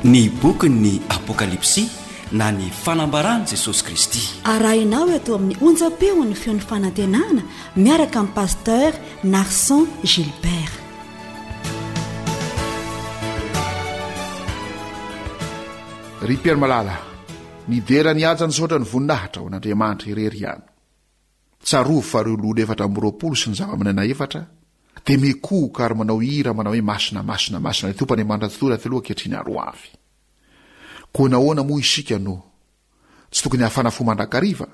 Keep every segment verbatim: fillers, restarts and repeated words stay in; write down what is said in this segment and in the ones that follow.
Ny bokin'ny Apokalypsy na ny fanambaran'i Jesosy Kristy. Arahinao eto amin'ny onjam-peon'ny feon'ny fanantenana miaraka amin'ny Pasteur Narson Gilbert. Ry Pierre Malala, nidera ny haja nisaotra ny voninahitra ho an'Andriamanitra irery ihany. Tsarovy fa ireo loholona efatra amby roapolo sy ny zava-manana efatra dia mikohoka ary manao hira manao hoe masina, masina, masina ilay Tompo Andriamanitra Tsitoha taloha ankehitriny ary ho avy. Koa nahoana moa isika no tsy tokony hafana fo mandrakariva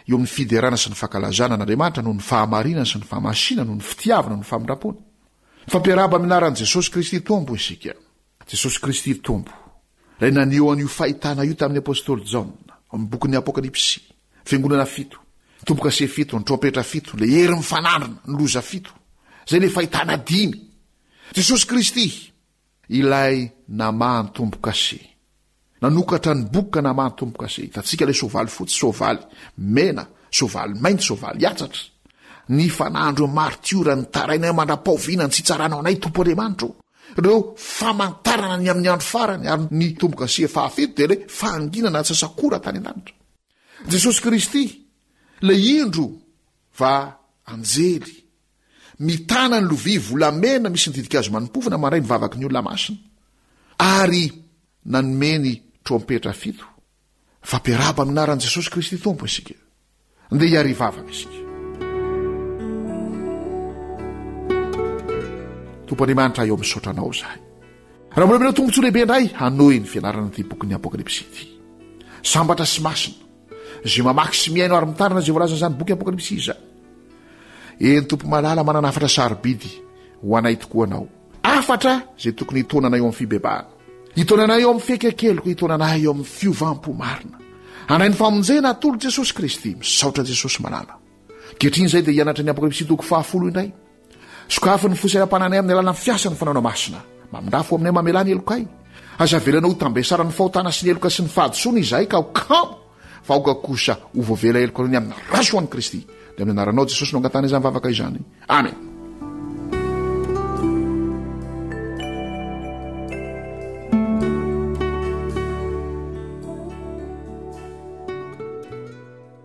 eo amin'ny fiderana sy ny fankalazana an'Andriamanitra noho ny fahamarinana sy ny fahamasinana, noho ny fitiavana, noho ny famindram-pony? Mifampiarahaba amin'ny anaran'i Jesosy Kristy Tompo isika. Jesosy Kristy Tompo, ilay naneho an'io fahitana io tamin'ny apostoly Jaona, ao amin'ny bokin'ny Apokalypsy, fiangonana fito, ny tombo-kase fito, ny trompetra fito, ilay hery mifanandrina, ny loza fito. Izay ilay fahitana dimy. Jesosy Kristy, ilay namaha ny tombo-kase. Nanokatra ny boky ka namaha ny tombo-kase. Hitantsika ilay soavaly fotsy, soavaly mena, soavaly mainty, soavaly hatsatra. Ny fanandro martiora nitaraina mandra-paoviana ny tsy hitsaranao anay, Tompo Andriamanitro. Ireo famantarana ny amin'ny andro farany, ary ny tombo-kase fahafito dia ilay fahanginana antsasakora tany an-danitra. Jesosy Kristy, ilay indro fa anjely, mitana ny lovia volamena misy ny ditin-kazo manim-pofona mandray ny vavaky ny olona masina, ary nanome ny trompetra fito. Fampiarahaba amin'ny anaran'i Jesosy Kristy Tompo isika. Ndeha hiarivavaka isika. Tompo Andriamanitra, eo misaotra anao izahay. Raha mbola omena tombontsoa lehibe indray hanohy ny fianarana ity bokin'ny Apokalypsy ity. Sambatra sy masina izay mamaky sy mihaino ary mitandrina izay voalazan'izany boky Apokalypsy izany. Eny Tompo malala, manana hafatra sarobidy ho anay tokoa anao. Hafatra izay tokony hitaona anay eo amin'ny fibebahana, hitaona anay eo amin'ny fiaikakeloka, hitaona anay eo amin'ny fiovam-po marina. Handray ny famonjena atolotr'i Jesosy Kristy. Misaotra Jesosy malala. Ankehitriny izay dia hianatra ny Apokalypsy toko fahafolo indray. Sokafy ny fo sy alam-pananay amin'ny alalan'ny fiasan'ny Fanahy Masina. Mamindrafo aminay, mamelà ny helokay. Aza avelanao ho tambesaran'ny fahotana sy ny heloka sy ny fahadisoana izahay ka ho kamo, fa aoka kosa ho voavela heloka noho ny amin'ny raso an'i Kristy. Dia amin'ny anaranao Jesosy no angatahana izany vavaka izany. Amen.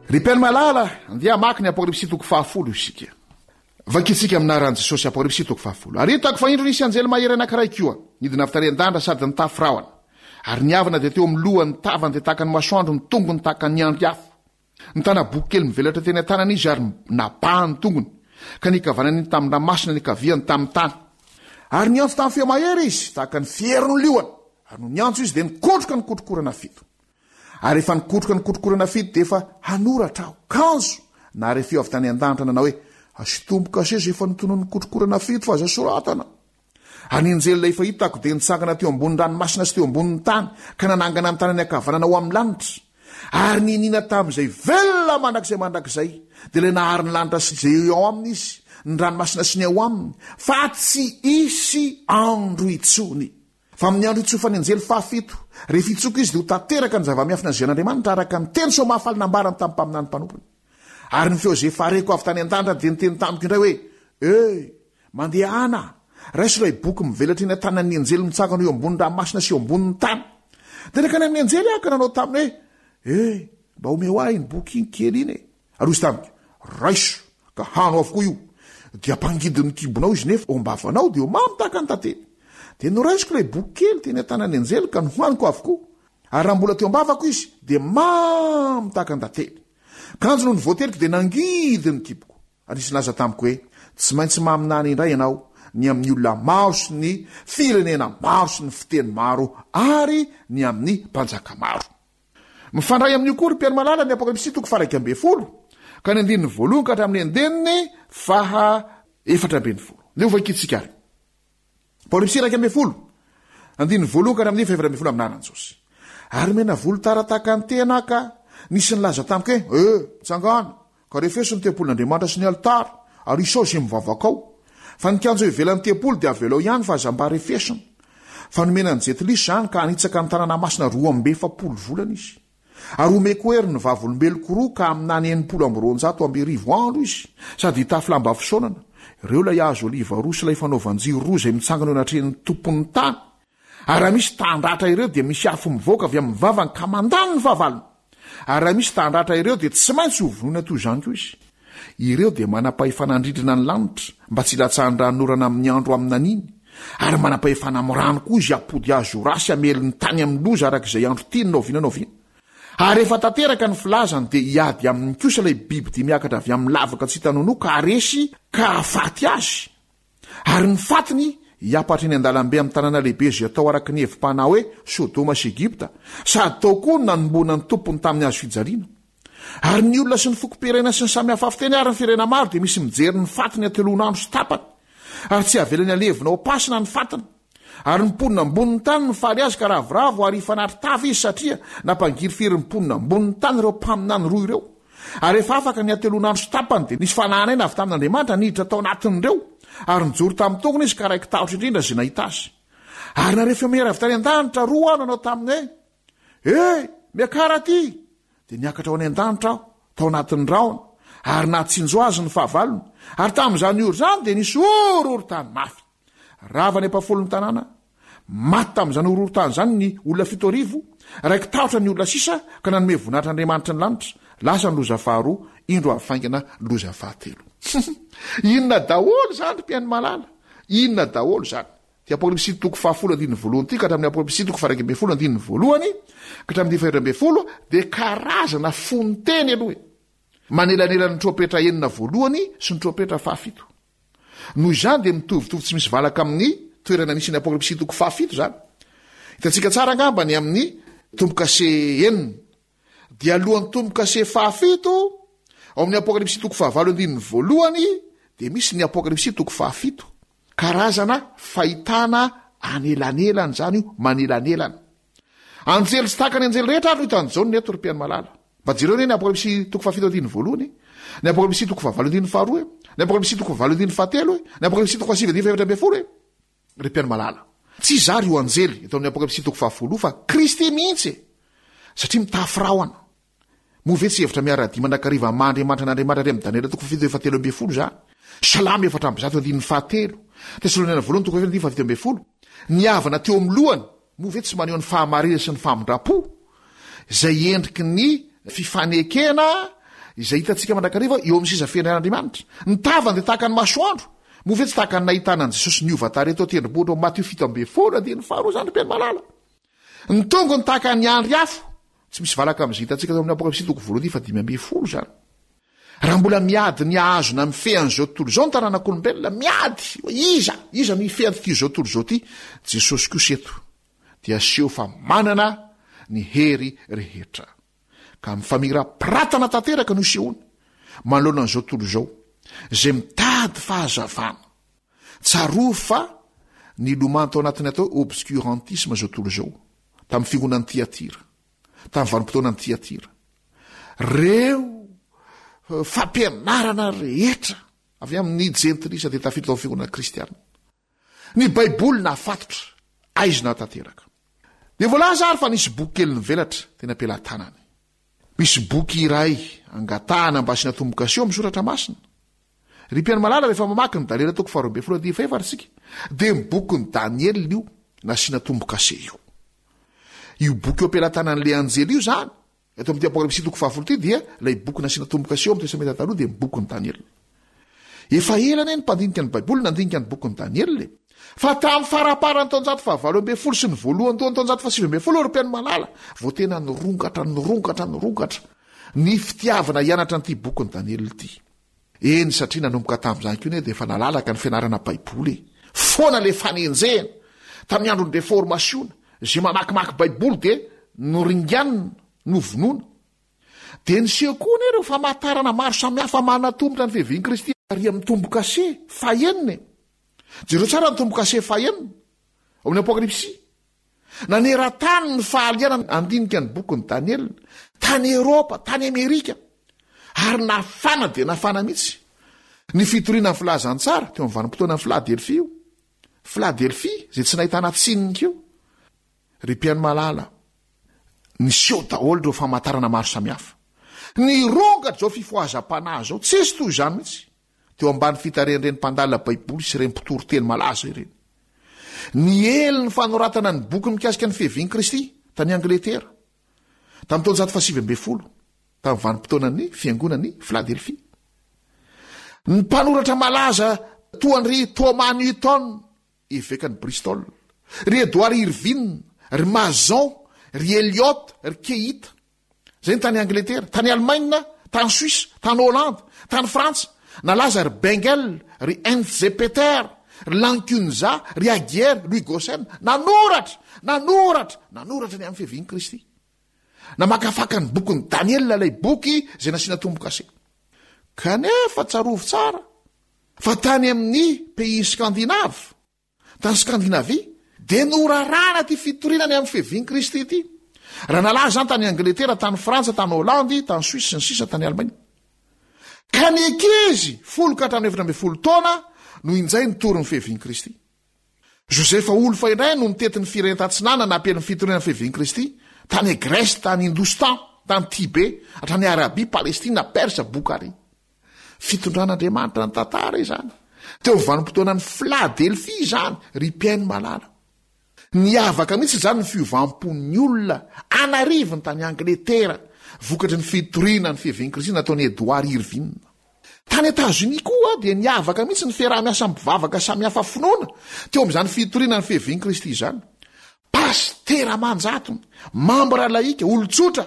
Ry mpihaino malala, andeha hamaky ny Apokalypsy toko fahafolo isika. Vakintsika amin'ny anaran'i Jesosy Apokalypsy toko fahafolo. Ary hitako fa indro nisy anjely mahery anankiray koa, nidina avy tany an-danitra sady nitafy rahona. Ary ny avana dia teo amin'ny lohany, ny tavany dia tahaka ny masoandro, ny tongony tahaka ny andry afo. Nitana boky kely mivelatra teny an-tanany izy ary nabahany ny tongony, ka ny ankavanany tamin'ny ranomasina, ny ankaviany tamin'ny tany. Ary niantso tamin'ny feo mahery izy, tahaka ny fierin'ny liona. Ary nony niantso izy dia nikotroka ny kotrokorana fito. Ary rehefa nikotroka ny kotrokorana fito dia efa hanoratra aho. Kanjo nahare feo avy tany an-danitra nanao hoe, Asio tombo-kase izay efa notononin'ny kotrokorana fito fa aza soratana. Ary ny anjely ilay efa hitako dia nitsangana teo ambonin'ny ranomasina sy teo ambonin'ny tany, ka nanangana ny tanany ankavanana ho amin'ny lanitra. Ary niniana tamin'izay velona mandrakizay mandrakizay, dia ilay nahary ny lanitra sy izay eo aminy izy, ny ranomasina sy ny ao aminy, fa tsy hisy andro intsony. Fa amin'ny andro hitsofan'ny anjely fahafito, rehefa hitsoka izy, dia ho tanteraka ny zava-miafina izay an'Andriamanitra, araka ny teny soa mahafaly nambarany tamin'ny mpaminany mpanompony. Ary ny feo izay efa reko avy tany an-danitra dia niteny tamiko indray hoe, Ey, mandehana, raiso ilay boky mivelatra eny an-tanan'ny anjely mitsangana eo ambonin'ny ranomasina sy eo ambonin'ny tany. Dia nankany amin'ny anjely aho ka nanao taminy hoe, Ey, mba omeo ahy iny boky iny kely iny e. Ary hoy izy tamiko, Raiso, ka hano avokoa io. Dia ampangidy ny kibonao izy, nefa ao am-bavanao dia ho mamy tahaka ny tantely. Dia noraisiko ilay boky kely teny an-tanan'ny anjely ka nohaniko avokoa. Ary raha mbola teo am-bavako izy, dia mamy tahaka ny tantely. Kanjo nony voateliko dia nangidy ny kiboko. Ary nisy nilaza tamiko hoe, Tsy maintsy maminany indray ianao ny amin'ny olona maro sy ny firenena maro sy ny fiteny maro ary ny amin'ny mpanjaka maro. Mifandray amin'io koa ry Mpihaino malala ny Apokalypsy toko faha-iraika ambin'ny folo ka ny andininy voalohany ka hatramin'ny andininy faha efatra ambin'ny folo. Ndeha ho vakintsika ary. Apokalypsy iraika ambin'ny folo, andininy voalohany ka hatramin'ny faha efatra ambin'ny folo amin'ny anaran'i Jesosy. Ary mena volotara tahaka ny tehina aho ka nisy nilaza tamiko hoe, Eh, mitsangàna, ka refeso ny tempolin'Andriamanitra sy ny alitara, ary isao izay mivavaka ao. Fa ny kianja eo ivelan'ny tempoly dia avelao ihany fa aza mba refesina. Fa nomena an'i Jentilisa izany ka hanitsaka ny tanàna masina roa amby efapolo volana izy. Ary homeko hery ny vavolombeloko roa ka haminany enimpolo amby roanjato amby arivo andro izy, sady hitafy lamba fisaonana. Ireo ilay hazo oliva roa sy ilay fanaovan-jiro roa izay mitsangana eo anatrehan'ny Tompon'ny tany. Ary raha misy tahandratra ireo dia misy afo mivoaka avy amin'ny vavany ka mandany ny fahavalony. Ary raha misy tahandratra ireo dia tsy maintsy hovonoina toy izany koa izy. Ireo dia manam-pahefana handrindrina ny lanitra mba tsy hilatsahan'ny ranonorana amin'ny andro aminaniny. Ary manam-pahefana amin'ny rano koa izy hampody azy ho ra sy hamely ny tany amin'ny loza araka izay andro tiany na oviana na oviana. Ary rehefa tanteraka ny filazany dia hiady aminy kosa ilay biby dia miakatra avy amin'ny lavaka tsy hita nonoa ka haresy ka hahafaty azy. Ary ny fatiny hiampatra eny an-dalambe amin'ny tanàna lehibe izay atao araka ny hevi-panahy hoe Sodoma sy Egypta, sady tao koa no nanomboana ny tompony tamin'ny hazo fijaliana. Ary ny olona sy ny fokom-pirenena sy ny samy hafa fiteny ary ny firenena maro dia misy mijery ny fatiny hateloan'andro sy tapany, ary tsy avelany halevina ao am-pasina ny fatiny. Ary ny mponina ambonin'ny tany mifaly azy ka ravoravo ary hifanatri-tava izy satria nampangirifiry ny mponina ambonin'ny tany ireo mpaminany roa ireo. Ary rehefa afaka ny hateloan'andro sy tapany dia nisy fanahanaina avy tamin'Andriamanitra niditra tao anatin'ireo, ary nijoro tamin'ny tongony izy ka raiki-tahotra indrindra izay nahita azy. Ary nahare feo mahery avy tany an-danitra roa aho nanao taminy hoe: "Ey, miakara aty!" Dia niakatra ho any an-danitra aho, tao anatin'ny rahona, ary nahatsinjo azy ny fahavalony. Ary tamin'izany ora izany dia nisy horohorontany mafy. Rava ny ampahafolon'ny tanàna, maty tamin'izany horohorontany izany ny olona fito arivo, raiki-tahotra ny olona sisa ka nanome voninahitra Andriamanitry ny lanitra. Lasa ny loza faharoa, indro avy faingana loza fahatelo. Inona daholo izany ry mpihaino malala? Inona daholo izany? Ty Apokalypsy toko fahafolo andininy voalohany ity ka hatramin'ny Apokalypsy toko faha-iraika ambin'ny folo andininy voalohany ka hatramin'ny faha-efatra ambin'ny folo dia karazana fonon-teny aloha e. Manelanelana ny trompetra enina voalohany sy ny trompetra fahafito. Noho izany dia mitovitovy tsy misy valaka amin'ny toerana misy ny Apokalypsy toko fahafito izany. Hitantsika tsara angamba ny amin'ny tombo-kase enina. Dia alohan'ny tombo-kase fahafito, ao amin'ny Apokalypsy toko fahavalo andininy voalohany, dia misy ny Apokalypsy toko fahafito. Karazana fahitana anelanelana izany io, manelanelana. Anjely tsy tahaka ny anjely rehetra ary no hitan'i Jaona eto, ry mpihaino malala. Mba jereo anie ny Apokalypsy toko fahafito andininy voalohany e, ny Apokalypsy toko fahavalo andininy faharoa e, ny Apokalypsy toko fahavalo andininy fahatelo e, ny Apokalypsy toko fahasivy andininy fahefatra ambin'ny folo e. Ry mpihaino malala, tsy iza ary io anjely eto amin'ny Apokalypsy toko fahafolo io fa Kristy mihitsy e, satria mitafy rahona. Moa ve tsy hevitra miara-dia mandrakariva amin'ny maha Andriamanitra an'Andriamanitra ary amin'ny Daniela toko fahafito fahatelo ambin'ny folo izany? Salamo efatra amby zato andininy fahatelo, Tesaloniana voalohany toko fahefatra andininy fahafito ambin'ny folo. Ny avana teo amin'ny lohany, moa ve tsy maneho ny fahamarinana sy ny famindram-po, izay endriky ny fifanekena izay hitantsika mandrakariva eo amin'ny seza fiandrianan'Andriamanitra? Ny tavany dia tahaka ny masoandro, moa ve tsy tahaka ny nahitana an'i Jesosy niova tarehy teo an-tendrombohitra ao Matio fito ambin'ny folo andininy faharoa izany, ry mpihaino malala? Ny tongony tahaka ny andry afo, tsy misy valaka amin'izay hitantsika tao amin'ny Apokalypsy toko voalohany fahadimy ambin'ny folo izany. Raha mbola miady ny hahazo na mifehy an'izao tontolo izao ny taranak'olombelona, miady hoe iza, iza no hifehy an'ity izao tontolo izao ity, Jesosy kosa eto dia aseho fa manana ny hery rehetra. Ka amin'ny famirapiratana tanteraka no isehoany manoloana an'izao tontolo izao, izay mitady fahazavana. Tsarovy fa nilomano tao anatin'ny atao hoe obscurantisme izao tontolo izao, tamin'ny fiangonan'i Tyatira, tamin'ny vanim-potoanan'i Tyatira. Reo fampianarana rehetra avy amin'ny jentilisa dia tafiditra tao amin'ny fiangonana kristiana. Ny Baiboly nahafatotra, aizina tanteraka. Dia voalaza ary fa nisy boky kely nivelatra teny am-pelatanany. Misy boky iray angatahana mba asiana tombo-kase ao amin'ny soratra masina. Ry mpihaino malala, rehefa mamaky ny Daniela toko faharoa ambin'ny folo andininy fahefatra isika, dia ny bokin'i Daniela io nasiana tombo-kase io. Io boky eo am-pelatanan'ilay anjely io izany, eto amin'ity Apokalypsy toko fahafolo ity, dia ilay boky nasiana tombo-kase eo amin'ny Testamenta Taloha dia ny bokin'i Daniela. Efa ela anie ny mpandinika ny Baiboly nandinika ny bokin'i Daniela e. Fa tamin'ny faramparan'ny taonjato fahavalo ambin'ny folo sy ny voalohandohan'ny taonjato fahasivy ambin'ny folo, ry mpihaino malala, vao tena nirongatra, nirongatra, nirongatra ny fitiavana hianatra an'ity bokin'i Daniela ity. Eny, satria nanomboka tamin'izany koa anie dia efa nalalaka ny fianarana Baiboly e. Foana ilay fanenjehana. Tamin'ny andron'ny Reformasiona, izay mamakimaky Baiboly dia noringanina, novonoina. Dia niseho koa anie ireo famantarana maro samihafa manatombotra ny fiavian'i Kristy ary amin'ny tombo-kase fahenina e. Jereo tsara ny tombo-kase fahenina ao amin'ny Apokalypsy. Naneran-tany ny fahalianana handinika ny bokin'i Daniela, tany Eoropa, tany Amerika, ary nafana dia nafana mihitsy ny fitoriana ny filazantsara teo amin'ny vanim-potoanan'ny Filadelfia io. Filadelfia, izay tsy nahitana tsininy koa. Ry mpihaino malala, niseho daholo ireo famantarana maro samihafa. Nirongatra izao fifohazam-panahy izao, tsisy toy izany mihitsy. Teo ambany fitarihan'ireny mpandalina Baiboly sy ireny mpitory teny malaza ireny. Niely ny fanoratana ny boky mikasika ny fiavian'i Kristy tany Angletera tamin'ny taonjato fahasivy ambin'ny folo, tamin'ny vanim-potoanan'ny fiangonan'i Philadelphie. Ny mpanoratra malaza toa an-dry Thomas Newton, evekan'i Bristol, ry Edward Irving, ry Mason, ry Eliot, ry Keith. Izay ny tany Angletera, tany Alemaina, tany Suisse, tany Hollande, tany Frantsa. Nalaza ry Bengel, ry Hinzpeter, ry Lancunza, ry Aguier, Louis Gossen. Nanoratra, nanoratra, nanoratra ny amin'ny fiavian'i Kristy. Namakafaka ny bokin'i Daniela, ilay boky izay nasiana tombo-kase. Kanefa tsarovy tsara fa tany amin'ny pays scandinave, tany Scandinavie, dia norarana ity fitoriana ny amin'ny fiavian'i Kristy ity. Raha nalaza izany tany Angletera, tany Frantsa, tany Holandy, tany Suisse sy ny sisa, tany Alemaina. Ka ny ankizy folo ka hatramin'ny efatra ambin'ny folo taona no injay nitory ny fiavian'i Kristy. Josefa Wolff indray no nitety ny firenena tatsinanana nampiely ny fitoriana ny fiavian'i Kristy tany Grèce, tany Hindostan, tany Tibet, hatrany Arabie, Palestina, Perse, Boukhari. Fitondran'Andriamanitra ny tantara izany. Teo amin'ny vanim-potoanan'ny Philadelphie izany, ry mpihaino malala. Niavaka mihitsy izany ny fiovam-pon'ny olona an'arivony tany Angletera vokatry ny fitoriana ny fiavian'i Kristy nataon'i Edward Irving. Tany Etazonia koa dia niavaka mihitsy ny fiaraha-miasa mpivavaka samihafa finoana teo amin'izany fitoriana ny fiavian'i Kristy izany. Pastera aman-jatony, mambra laika, olon-tsotra,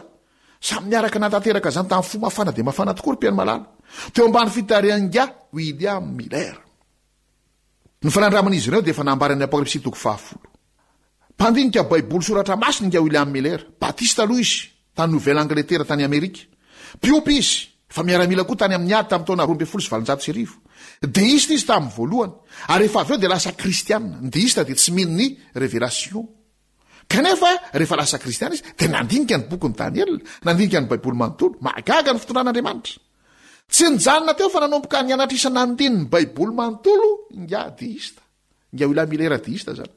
samy niaraka natanteraka izany tamin'ny fo mafana dia mafana tokoa ry mpihaino malala. Teo ambany fitarihan'ingahy William Miller. Ny fanandraman'izy ireo dia efa nambaran'ny Apokalypsy toko fahafolo. Mpandinika Baiboly soratra masina ingahy William Miller, Batista aloha izy, tany Nouvelle-Angleterre tany Amerika. Mpiompy izy, efa miaramila koa tany amin'ny ady tamin'ny taona roa ambin'ny folo sy valonjato sy arivo. Deista izy tamin'ny voalohany, ary rehefa avy eo dia lasa kristianina. Ny deista dia tsy mino ny révélation. Kanefa rehefa lasa kristianina izy dia nandinika ny bokin'i Daniel, nandinika ny Baiboly manontolo. Mahagaga ny fitondran'Andriamanitra. Tsy nijanona teo fa nanomboka nianatra isan'andininy ny Baiboly manontolo ingahy deista. Ingahy William Miller deista zany.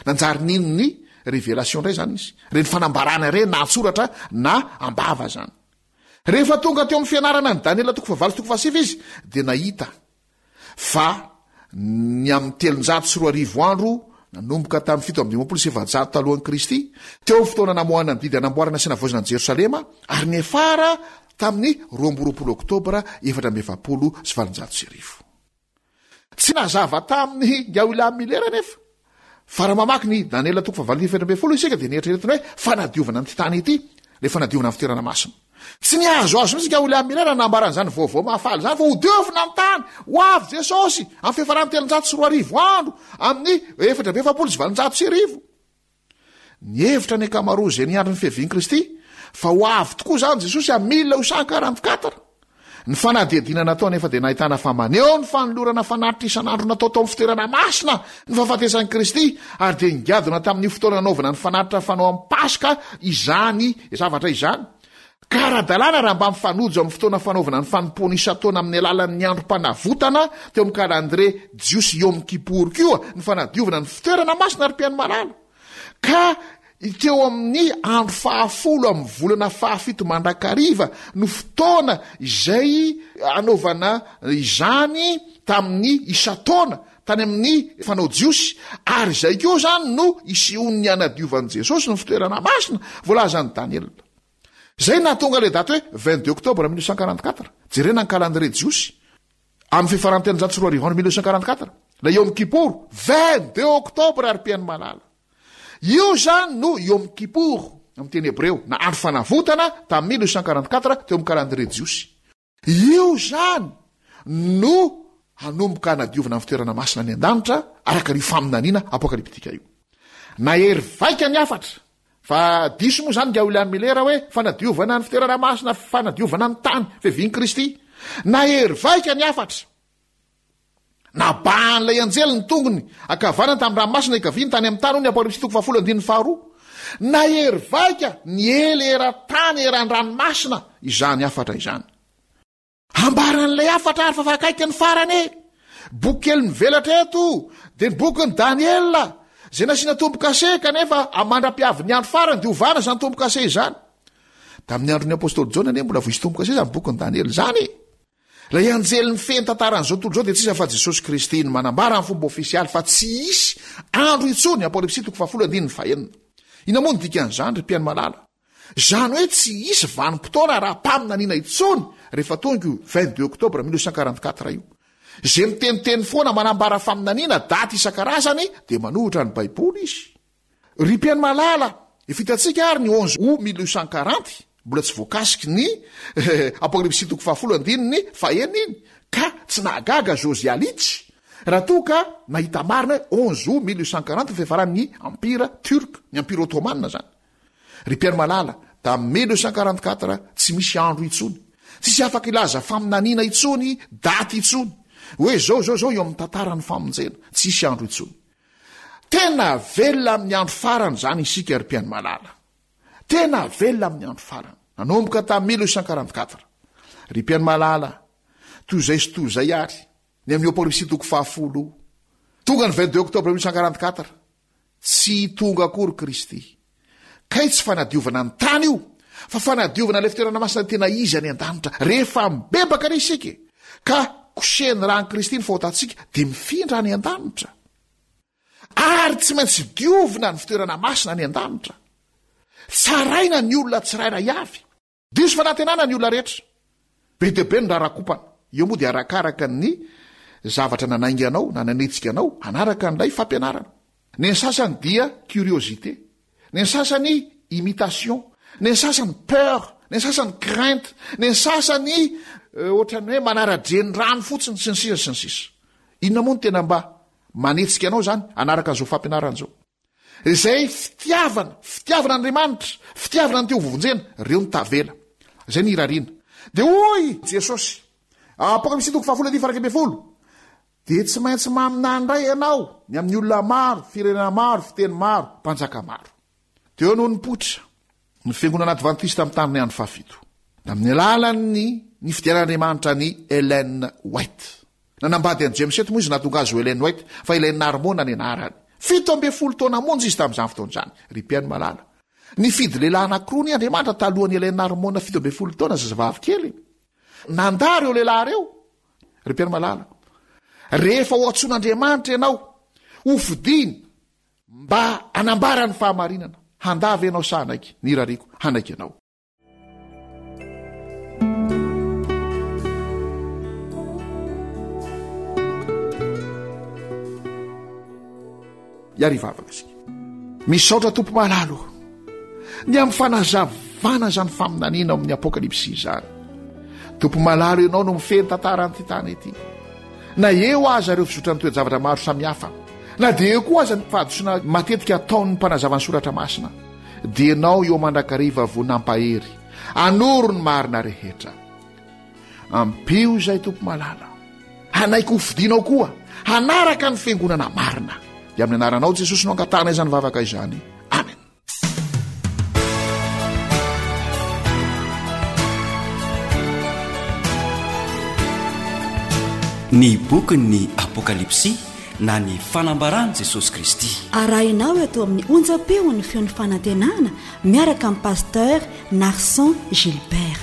Nanjary nino ny révélation indray zany izy. Ireny fanambarana ireny na an-tsoratra na am-bava zany. Rehefa tonga teo amin'ny fianarana ny Daniela toko fahavalo sy toko fahasivy izy dia nahita fa ny amin'ny telonjato sy roa arivo andro nanomboka tamin'ny fito amby dimampolo sy efajato talohan'i Kristy, teo amin'ny fotoana namoahana ny didy hanamboarana sy hanavaozana an'i Jerosalema, ary niafara tamin'ny roa amby roapolo oktobra efatra amby efapolo sy valonjato sy arivo. Tsy nazava tamin'ny ingahy William Miller anefa fa raha mamaky ny Daniela toko fahavalo efatra ambin'ny folo isika dia nieritreretina hoe fanadiovana an'ity tany ity, ilay fanadiovana ny fitoerana masina. Tsy nihazohazo mihitsy ingahy William Miller raha nambaran'izany vaovao mahafaly izany fa hodiovina ny tany, ho avy Jesosy amin'ny fiafaran'ny telonjato sy roa arivo andro amin'ny efatra amby efapolo sy valonjato sy arivo. Nihevitra ny ankamaroa izay niandry ny fiavian'i Kristy fa ho avy tokoa izany Jesosy amin'ny mille huit cent quarante-quatre. Ny fanadihadiana natao nefa dia nahitana fa maneho ny fanolorana fanatitra isan'andro natao tao amin'ny fitoerana masina ny fahafatesan'i Kristy, ary dia nigadona tamin'ny fotoana nanaovana ny fanatitra fanao amin'ny Paska izany zavatra izany. Ka ara-dalàna raha mba mifanojo amin'ny fotoana fanaovana ny fanompoana isan-taona amin'ny alalan'ny androm-panavotana teo amin'ny kalandrie jiosy Yom Kippur koa ny fanadiovana ny fitoerana masina ry mpihaino malala. Ka teo amin'ny andro fahafolo amin'ny volana fahafito mandrakariva no fotoana izay anaovana izany tamin'ny isan-taona tany amin'ny fanao jiosy, ary izay koa izany no isehoan'ny anadiovan'i Jesosy ny fitoerana masina voalazan'i Daniela. Izay nahatonga ilay daty hoe vingt-deux octobre mille neuf cent quarante-quatre. Jerena ny calendrier jiosy amin'ny fiafaran'ny telonjato sy roa arivo andro mille neuf cent quarante-quatre. Ilay Yom Kippur, vingt-deux octobre ary mpihaino malala. Io izany no Yom Kippur amin'ny teny hebreo, na andro fanavotana tamin'ny mille neuf cent quarante-quatre teo amin'ny calendrier jiosy. Io izany no hanomboka hanadiovana ny fitoerana masina any an-danitra araka ny faminaniana apokalyptika io. Nahery vaika ny hafatra fa diso moa izany ingahy William Miller hoe fanadiovana ny fitoerana masina, fanadiovana ny tany, fiavian'i Kristy. Nahery vaika ny hafatra. Nabahan'ilay anjely ny tongony ankavanana tamin'ny ranomasina ikaviany tany amin'ny tany, hoy ny Apokalypsy toko fahafolo andininy faharoa. Nahery vaika ny ela eran-tany eran-dranomasina izany hafatra izany. Ambaran'ilay hafatra ary fa fa akaiky ny farany e. Boky kely mivelatra eto dia ny bokin'i Daniela izay nasiana tombo-kase, kanefa mandra-piavin'ny andro farany dia hovana izany tombo-kase izany. Tamin'ny andron'ny apostoly Jaona anie mbola voisy tombo-kase izany bokin'i Daniela izany e. Ilay anjely mifehy ny tantaran'izao tontolo izao dia tsy iza fa Jesosy Kristy no manambara amin'ny fomba ofisialy fa tsy hisy andro intsony, Apokalypsy toko fahafolo andininy fahenina. Inona moa no dikan'izany, ry mpihaino malala? Izany hoe tsy hisy vanim-potoana ara-paminaniana intsony rehefa tonga io vingt deux octobre mille neuf cent quarante quatre io. Izay miteniteny foana manambara faminaniana daty isan-karazany dia manohitra ny Baiboly izy. Ry mpihaino malala, efa hitantsika ary ny onze août mille neuf cent quarante, mbola tsy voakasiky ny Apokalypsy toko fahafolo andininy fahenina iny, ka tsy nahagaga Josiah Litch raha toa ka nahita marina hoe onze août mille neuf cent quarante ny fiafaran'ny Empire Turc, ny Empire Ottoman izany. Ry mpihaino malala, tamin'ny mille neuf cent quarante quatre tsy misy andro intsony, tsisy afaka hilaza faminaniana intsony, daty intsony, hoe zao zao zao eo amin'ny tantaran'ny famonjena, tsisy andro intsony. Tena velona amin'ny andro farany izany isika, ry mpihaino malala. Tena velona amin'ny andro farany. Nanomboka tamin'ny mille neuf cent quarante quatre. Ry mpihaino malala, toy izay sy toy izay ary, ny amin'ny Apokalypsy toko fahafolo, tonga ny vingt deux octobre mille neuf cent quarante quatre, tsy tonga akory Kristy. Kay tsy fanadiovana ny tany io, fa fanadiovana ilay fitoerana masina tena izy any an-danitra. Rehefa mibebaka re isika, ka kosehin'ny ràn'i Kristy ny fahotantsika, dia mifindra any an-danitra. Ary tsy maintsy diovina ny fitoerana masina any an-danitra. Tsaraina ny olona tsirairay avy. Diso fanantenana ny olona rehetra. Be dia be ny rarakompana. Eo moa dia arakaraka ny zavatra nanainga anao na nanetsika anao hanaraka an'ilay fampianarana. Ny an'ny sasany dia curiosité, ny an'ny sasany imitation, ny an'ny sasany peur, ny an'ny sasany crainte, ny an'ny sasany, euh, ohatran'ny hoe manara-dreny rano fotsiny sy ny sisa sy ny sisa. Inona moa no tena mba manetsika anao izany hanaraka an'izao fampianarana izao? Izay fitiavana, fitiavana Andriamanitra, fitiavana ny te ho vonjena, ireo no tavela. Izay ny irariana. Dia hoy Jesosy, Apokalypsy toko fahafolo andininy faha iraika ambin'ny folo, dia tsy maintsy maminany indray ianao ny amin'ny olona maro, firenena maro, fiteny maro, mpanjaka maro. Teo no nipoitra ny fiangonana advantista mitandrina ny andro fahafito, tamin'ny alalan'ny nifidianan'Andriamanitra an'i Ellen White. Nanambady an'i James eto moa izy nahatonga azy ho Ellen White, fa Ellen Harmon ny anarany. Fito ambin'ny folo taona monja izy tamin'izany fotoana izany, ry mpihaino malala. Nifidy lehilahy anankiroa ny Andriamanitra talohan'i Ellen Harmon fito ambin'ny folo taona, zazavavy kely. Nandà ireo lehilahy ireo, ry mpihaino malala. Rehefa ho antsoin'Andriamanitra ianao, ho fidiny mba hanambara ny fahamarinana, handà ve ianao sa hanaiky? Ny irariako, hanaiky ianao. Hiary hivavaka isika. Misaotra Tompo malala o, ny amin'ny fanazavana izany faminaniana ao amin'ny Apokalypsy izany. Tompo malala, ianao no mifehy ny tantaran'ity tany ity. Na eo aza ireo fizotran'ny toe-javatra maro samihafa, na dia eo koa aza ny fahadisoana matetika ataon'ny mpanazava ny soratra masina, dia ianao eo mandrakariva vao nampahery, anoro ny marina rehetra. Ampio izay Tompo malala, hanaiky ho fidinao koa, hanaraka ny fiangonana marina. Dia amin'ny anaranao Jesosy no angatahana izany vavaka izany. Amen. Ny bokin'ny Apokalypsy na ny fanambaran'i Jesosy Kristy. Arahinao eto amin'ny onjam-peon'ny feon'ny fanantenana miaraka amin'ny Pasteur Narson Gilbert.